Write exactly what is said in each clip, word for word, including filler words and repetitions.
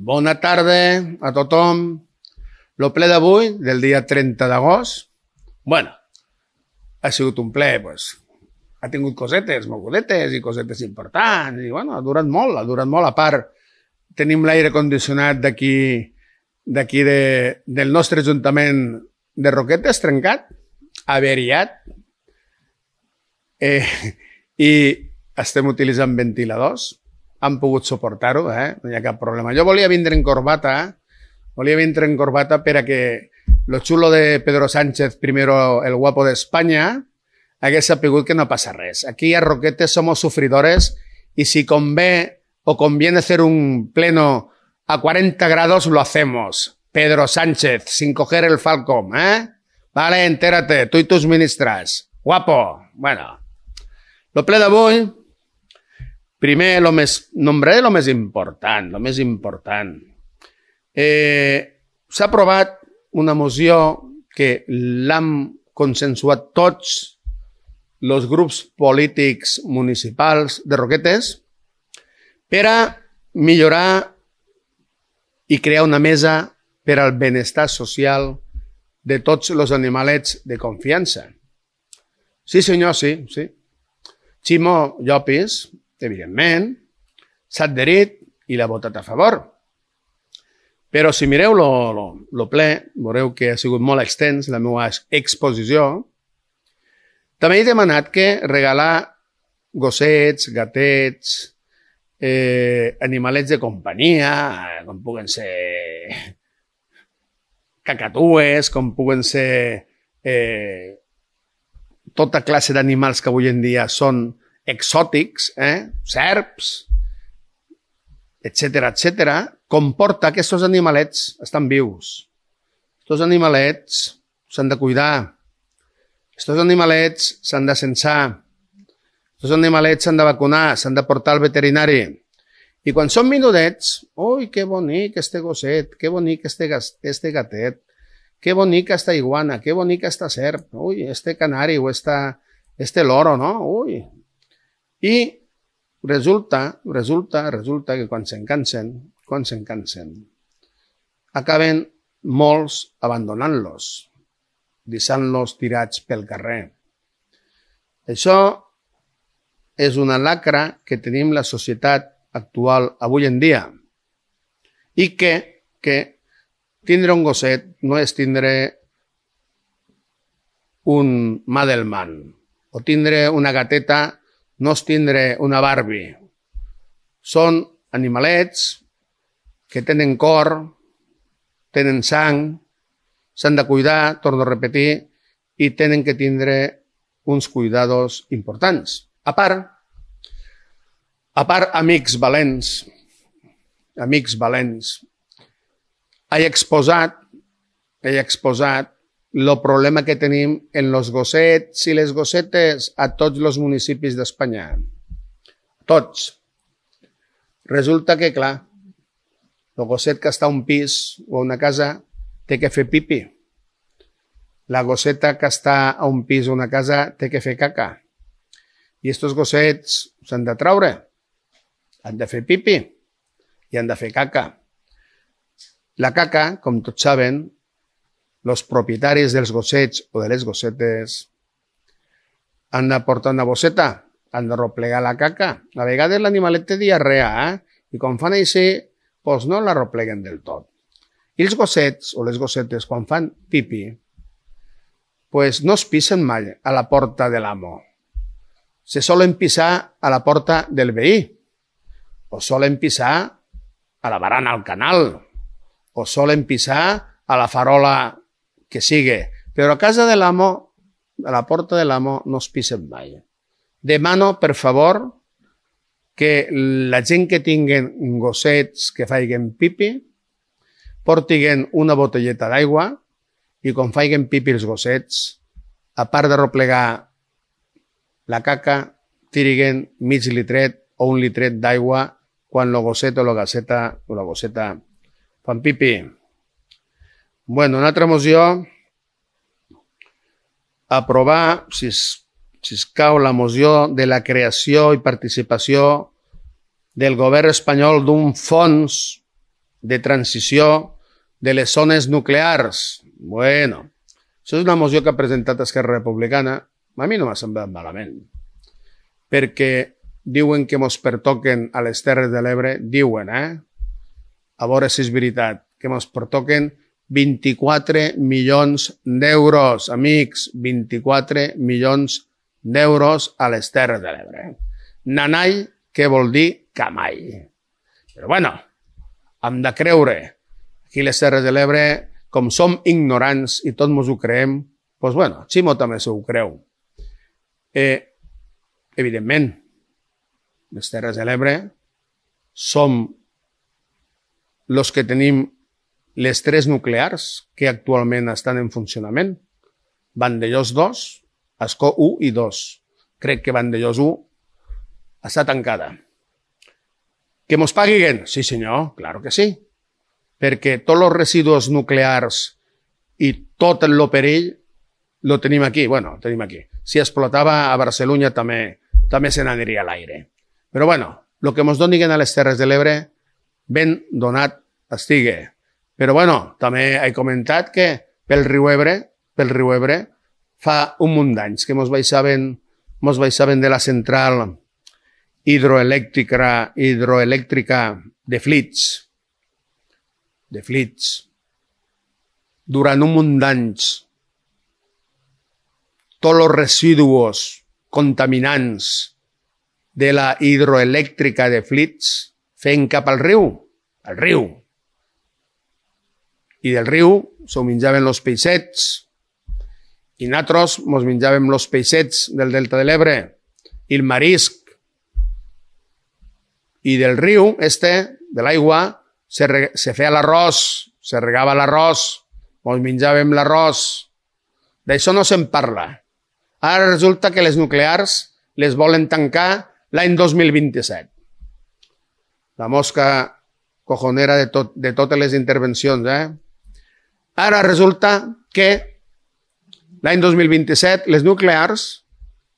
Bona tarda a tothom. El ple d'avui, del dia trenta d'agost, bueno, ha sigut un ple, pues, ha tingut cosetes, mogudetes i cosetes importants, i bueno, ha durat molt, ha durat molt. A part, tenim l'aire condicionat d'aquí, d'aquí de, del nostre Ajuntament de Roquetes, trencat, averiat, eh, i estem utilitzant ventiladors. Han pogut suportar-ho, eh? No hi ha cap problema. Jo volia vindre en corbata, volia vindre en corbata per a que lo xulo de Pedro Sánchez, primero el guapo de España, hagués sapigut que no passa res. Aquí a Roquetes somos sufridores y si convé o conviene hacer un pleno a cuarenta grados, lo hacemos. Pedro Sánchez, sin coger el Falcom, ¿eh? Vale, entérate, tú y tus ministras. Guapo. Bueno, lo ple d'avui, primer, lo més, nombraré el més important, el més important. Eh, S'ha aprovat una moció que l'han consensuat tots els grups polítics municipals de Roquetes per a millorar i crear una mesa per al benestar social de tots els animalets de confiança. Sí, senyor, sí, sí. Ximo Llopis, evidentment, s'ha adherit i l'ha votat a favor. Però si mireu el ple, veureu que ha sigut molt extens la meva exposició. També he demanat que regalar gossets, gatets, eh, animalets de companyia, com puguen ser cacatues, com puguen ser eh, tota classe d'animals que avui en dia són exòtics, eh? Serps, etcètera, etcètera, comporta que aquests animalets estan vius. Aquests animalets s'han de cuidar. Aquests animalets s'han de censar. Aquests animalets s'han de vacunar, s'han de portar al veterinari. I quan són menudets, ui, que bonic este gosset, que bonic este, este gatet, que bonica esta iguana, que bonica esta serp, ui, este canari o esta, este loro, no? Ui. I resulta, resulta, resulta que quan se'n cansen, quan se'n cansen, acaben molts abandonant-los, deixant-los tirats pel carrer. Això és una lacra que tenim la societat actual avui en dia i que, que tindre un gosset no és tindre un Madelman o tindre una gateta no és tindre una Barbie. Són animalets que tenen cor, tenen sang, s'han de cuidar, torno a repetir, i tenen que tindre uns cuidados importants. A part, a part, amics valents, amics valents, he exposat, he exposat el problema que tenim en els gossets i les gossetes a tots els municipis d'Espanya. Tots. Resulta que, clar, el gosset que està a un pis o a una casa té que fer pipi. La gosseta que està a un pis o una casa té que fer caca. I aquests gossets s'han de traure. Han de fer pipi i han de fer caca. La caca, com tots saben, els propietaris dels gossets o de les gossetes han de portar una bosseta, han de replegar la caca. A vegades l'animalet té diarrea, eh? I quan fan així, doncs no la repleguen del tot. I els gossets o les gossetes, quan fan pipi, doncs no es pisen mai a la porta de l'amo. Se solen pisar a la porta del veí, o solen pisar a la barana al canal, o solen pisar a la farola que sigui, però a casa de l'amo, a la porta de l'amo, no es pisen mai. Demano, per favor, que la gent que tinguen gossets que faiguen pipi, portiguen una botelleta d'aigua i quan faiguen pipi els gossets, a part de replegar la caca, tiriguen mig litret o un litret d'aigua quan el gosset o la gasseta o la gosseta fan pipi. Bueno, una altra moció, aprovar, si es, si es cau, la moció de la creació i participació del govern espanyol d'un fons de transició de les zones nuclears. Bueno, això és una moció que ha presentat Esquerra Republicana. A mi no m'ha semblat malament, perquè diuen que mos pertoquen a les Terres de l'Ebre, diuen, eh? A veure si és veritat, que mos pertoquen vint-i-quatre milions d'euros, amics, vint-i-quatre milions d'euros a les Terres de l'Ebre. Nanai, què vol dir camai. Però bueno, hem de creure. Aquí les Terres de l'Ebre, com som ignorants i tots mos ho creem, doncs bueno, Ximo també s'ho creu. Eh, evidentment, les Terres de l'Ebre som els que tenim les tres nuclears que actualment estan en funcionament. Vandellós dos, Ascó u i dos. Crec que Vandellós u està tancada. Que mos paguen? Sí, senyor, claro que sí. Perquè tots els residus nuclears i tot el perill lo tenim aquí. Bueno, tenim aquí. Si explotava a Barcelona també, també se n'aniria a l'aire. Però bueno, el que mos donin a les Terres de l'Ebre ben donat estigui. Però bueno, també he comentat que pel riu Ebre, pel riu Ebre, fa un munt d'anys que mos baixaven, mos baixaven de la central hidroelèctrica, hidroelèctrica de Flix, de Flix, durant un munt d'anys, tots els residus contaminants de la hidroelèctrica de Flix feien cap al riu, al riu. I del riu s'ho menjaven els peixets i nosaltres mos menjàvem els peixets del delta de l'Ebre i el marisc. I del riu, este, de l'aigua, se, re, se feia l'arròs, se regava l'arròs, mos menjàvem l'arròs. D'això no se'n parla. Ara resulta que les nuclears les volen tancar l'any dos mil vint-i-set. La mosca cojonera de, tot, de totes les intervencions, eh? Ara resulta que l'any dos mil vint-i-set les nuclears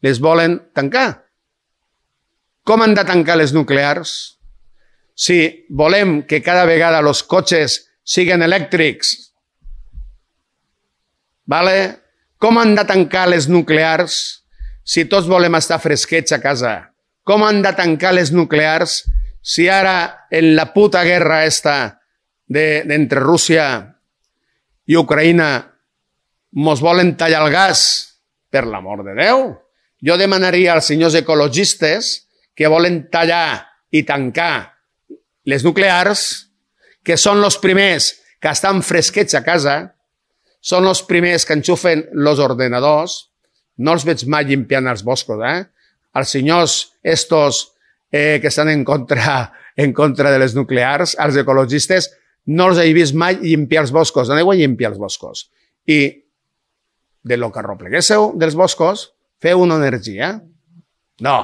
les volen tancar. Com han de tancar les nuclears? Si volem que cada vegada els cotxes siguin elèctrics, vale? Com han de tancar les nuclears si tots volem estar fresquets a casa? Com han de tancar les nuclears si ara en la puta guerra esta de, d'entre Rússia i Ucraïna mos volen tallar el gas? Per l'amor de Déu! Jo demanaria als senyors ecologistes que volen tallar i tancar les nuclears, que són els primers que estan fresquets a casa, són els primers que enxufen els ordenadors, no els veig mai limpiant els boscos, eh? Els senyors estos eh, que estan en contra, en contra de les nuclears, els ecologistes, no els he vist mai limpiar els boscos, aneu a limpiar els boscos. I de lo que arropleguéssiu dels boscos, feu una energia. No.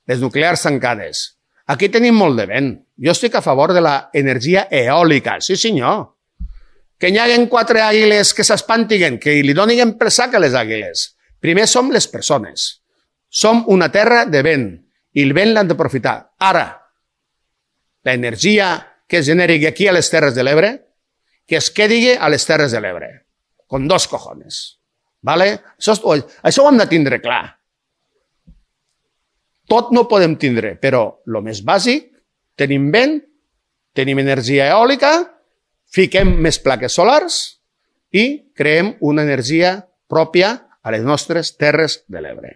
Les nuclears tancades. Aquí tenim molt de vent. Jo estic a favor de l'energia eòlica. Sí, senyor. Que n'hi haguen quatre àguiles que s'espantiguen, que li donin per sac a les àguiles. Primer som les persones. Som una terra de vent i el vent l'han d'aprofitar. Ara, l'energia que es generi aquí a les Terres de l'Ebre, que es quedi a les Terres de l'Ebre. Con dos cojones. Vale? Això, això ho hem de tindre clar. Tot no podem tindre, però el més bàsic, tenim vent, tenim energia eòlica, fiquem més plaques solars i creem una energia pròpia a les nostres Terres de l'Ebre.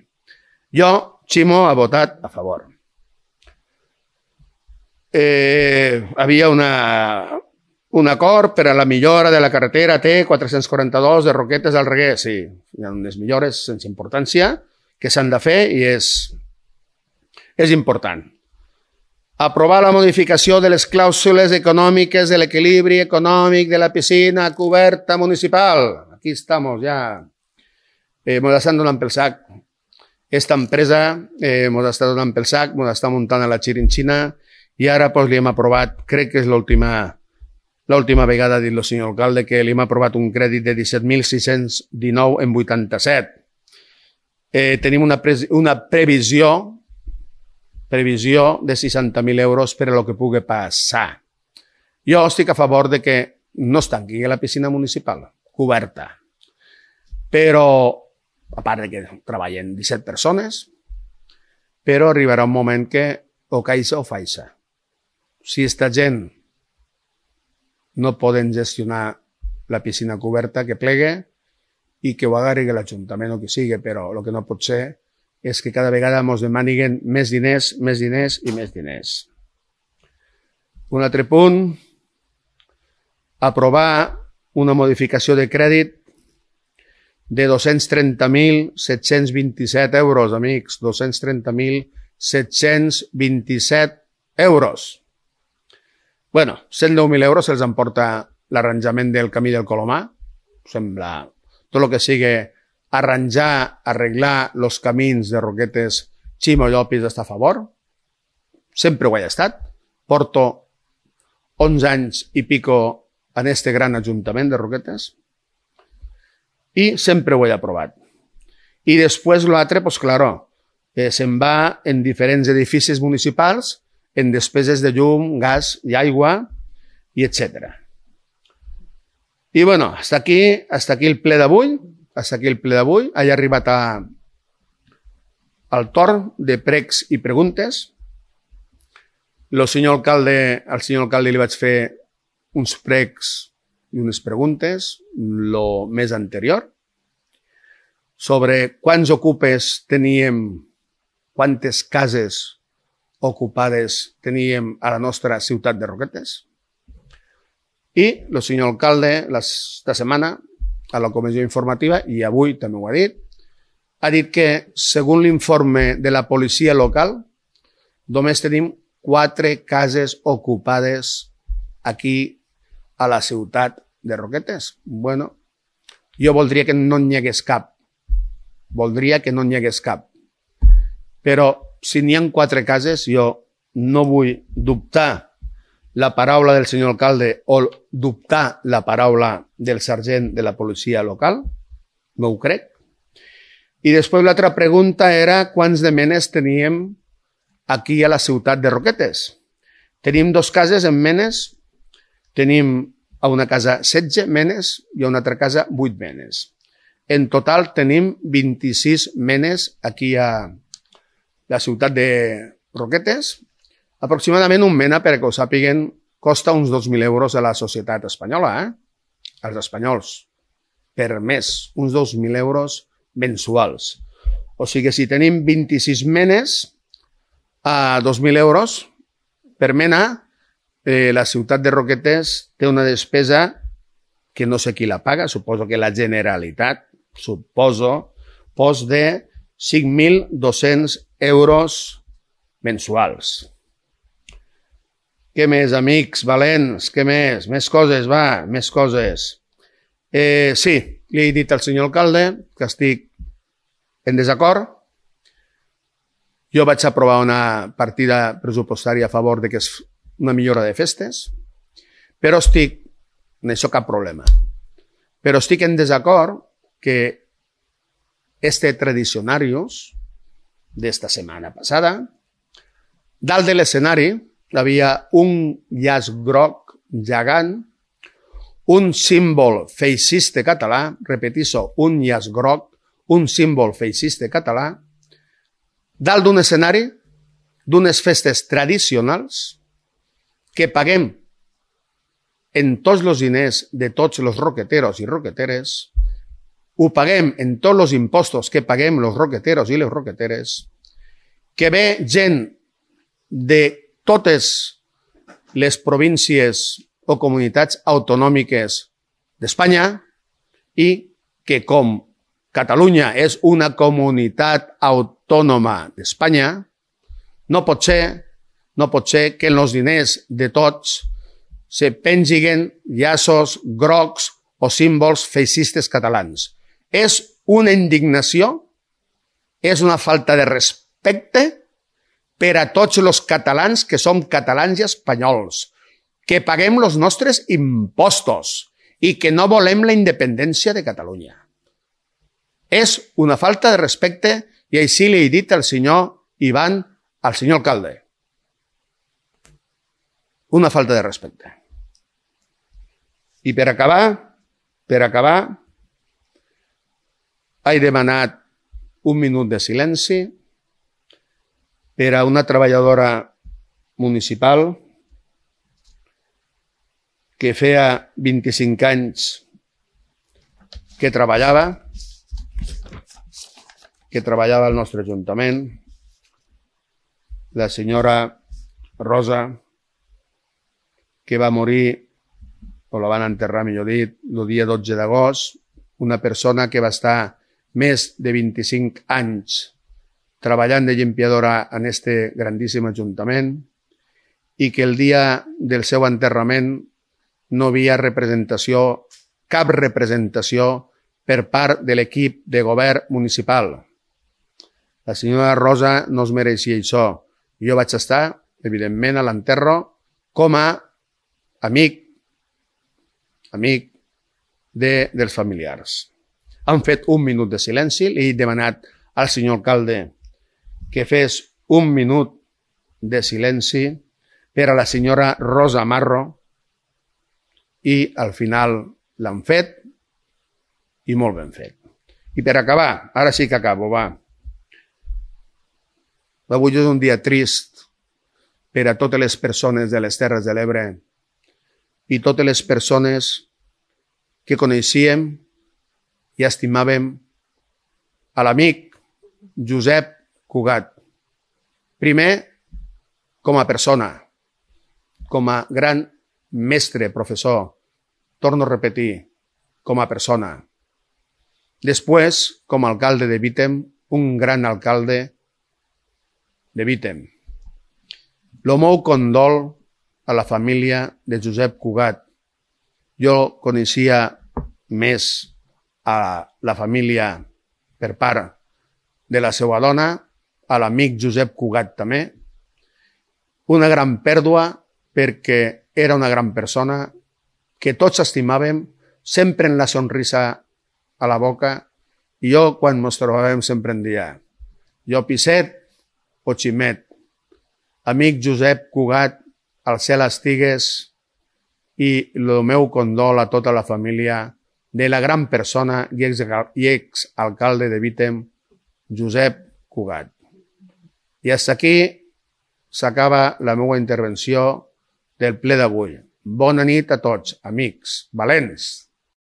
Jo, Ximo, ha votat a favor. Eh, havia una, un acord per a la millora de la carretera T quatre-cents quaranta-dos de Roquetes al Reguer. Sí, hi ha unes millores sense importància que s'han de fer i és... és important. Aprovar la modificació de les clàusules econòmiques de l'equilibri econòmic de la piscina coberta municipal. Aquí estamos ja. Eh, mos estan donant pel sac. Esta empresa eh, mos està donant pel sac, mos està muntant a la xirinxina i ara pues, li hem aprovat, crec que és l'última l'última vegada, ha dit el senyor alcalde, que li hem aprovat un crèdit de disset mil sis-cents dinou en vuitanta-set. Eh, tenim una, pre una previsió previsió de seixanta mil euros per a lo que pugui passar. Jo estic a favor de que no es tanqui la piscina municipal, coberta. Però, a part de que treballen disset persones, però arribarà un moment que o caixa o faixa. Si esta gent no poden gestionar la piscina coberta, que plegue i que ho agarri l'Ajuntament o que sigui, però el que no pot ser és que cada vegada ens demaniguen més diners, més diners i més diners. Un altre punt, aprovar una modificació de crèdit de dos-cents trenta mil set-cents vint-i-set euros, amics, dos-cents trenta mil set-cents vint-i-set euros. Bueno, cent deu mil euros se'ls emporta l'arranjament del camí del Colomar. Sembla tot el que sigui arranjar, arreglar els camins de Roquetes, Ximo Llopis està a favor. Sempre ho he estat. Porto onze anys i pico en este gran ajuntament de Roquetes i sempre ho he aprovat. I després l'altre, pues claro, eh, se'n va en diferents edificis municipals, en despeses de llum, gas i aigua, i etcètera. I bueno, hasta aquí, hasta aquí el ple d'avui. Hasta aquí el ple d'avui. Ha arribat a, al torn de pregs i preguntes. El senyor alcalde, al senyor alcalde li vaig fer uns pregs i unes preguntes, lo més anterior, sobre quants ocupes teníem, quantes cases ocupades teníem a la nostra ciutat de Roquetes. I el senyor alcalde, esta setmana, a la comissió informativa, i avui també ho ha dit, ha dit que, segons l'informe de la policia local, només tenim quatre cases ocupades aquí a la ciutat de Roquetes. Bueno, jo voldria que no n'hi hagués cap. Voldria que no n'hi hagués cap. Però si n'hi ha quatre cases, jo no vull dubtar la paraula del senyor alcalde o dubtar la paraula del sergent de la policia local, no ho crec. I després l'altra pregunta era quants de menes teníem aquí a la ciutat de Roquetes. Tenim dos cases en menes, tenim a una casa setze menes i a una altra casa vuit menes. En total tenim vint-i-sis menes aquí a la ciutat de Roquetes. Aproximadament un mena, perquè ho sàpiguen, costa uns dos mil euros a la societat espanyola, eh? als espanyols, per mes, uns dos mil euros mensuals. O sigui, si tenim vint-i-sis menes a dos mil euros per mena, eh, la ciutat de Roquetes té una despesa que no sé qui la paga, suposo que la Generalitat, suposo, pos de cinc mil dos-cents euros mensuals. Què més, amics valents? Què més? Més coses, va, més coses. Eh, sí, li he dit al senyor alcalde que estic en desacord. Jo vaig aprovar una partida pressupostària a favor de que és una millora de festes, però estic, en això cap problema, però estic en desacord que este tradicionarios d'esta setmana passada, dalt de l'escenari, hi havia un llaç groc gegant, un símbol feixista català, repetisso, un llaç groc, un símbol feixista català, dalt d'un escenari d'unes festes tradicionals que paguem en tots els diners de tots els roqueteros i roqueteres, ho paguem en tots els impostos que paguem els roqueteros i les roqueteres, que ve gent de totes les províncies o comunitats autonòmiques d'Espanya i que com Catalunya és una comunitat autònoma d'Espanya, no pot ser, no pot ser que en els diners de tots se pengiguen llaços grocs o símbols feixistes catalans. És una indignació, és una falta de respecte per a tots els catalans que som catalans i espanyols, que paguem els nostres impostos i que no volem la independència de Catalunya. És una falta de respecte i així li he dit al senyor Ivan, al senyor alcalde. Una falta de respecte. I per acabar, per acabar, he demanat un minut de silenci per a una treballadora municipal que feia vint-i-cinc anys que treballava, que treballava al nostre Ajuntament, la senyora Rosa, que va morir, o la van enterrar, millor dit, el dia dotze d'agost, una persona que va estar més de vint-i-cinc anys treballant de llimpiadora en este grandíssim Ajuntament i que el dia del seu enterrament no havia representació, cap representació per part de l'equip de govern municipal. La senyora Rosa no es mereixia això. Jo vaig estar, evidentment, a l'enterro com a amic, amic de, dels familiars. Han fet un minut de silenci, li he demanat al senyor alcalde que fes un minut de silenci per a la senyora Rosa Marro i al final l'han fet i molt ben fet. I per acabar, ara sí que acabo, va. Avui és un dia trist per a totes les persones de les Terres de l'Ebre i totes les persones que coneixíem i estimàvem a l'amic Josep Cugat. Primer, com a persona, com a gran mestre, professor, torno a repetir, com a persona. Després, com a alcalde de Vítem, un gran alcalde de Vítem. El meu condol a la família de Josep Cugat. Jo coneixia més a la família per part de la seva dona, a l'amic Josep Cugat també. Una gran pèrdua perquè era una gran persona que tots estimàvem, sempre en la sonrisa a la boca, i jo quan ens trobàvem sempre en dia jo Pisset o Ximet. Amic Josep Cugat, al cel estigues, i el meu condol a tota la família de la gran persona i exalcalde de Vítem, Josep Cugat. I fins aquí s'acaba la meva intervenció del ple d'avui. Bona nit a tots, amics valents.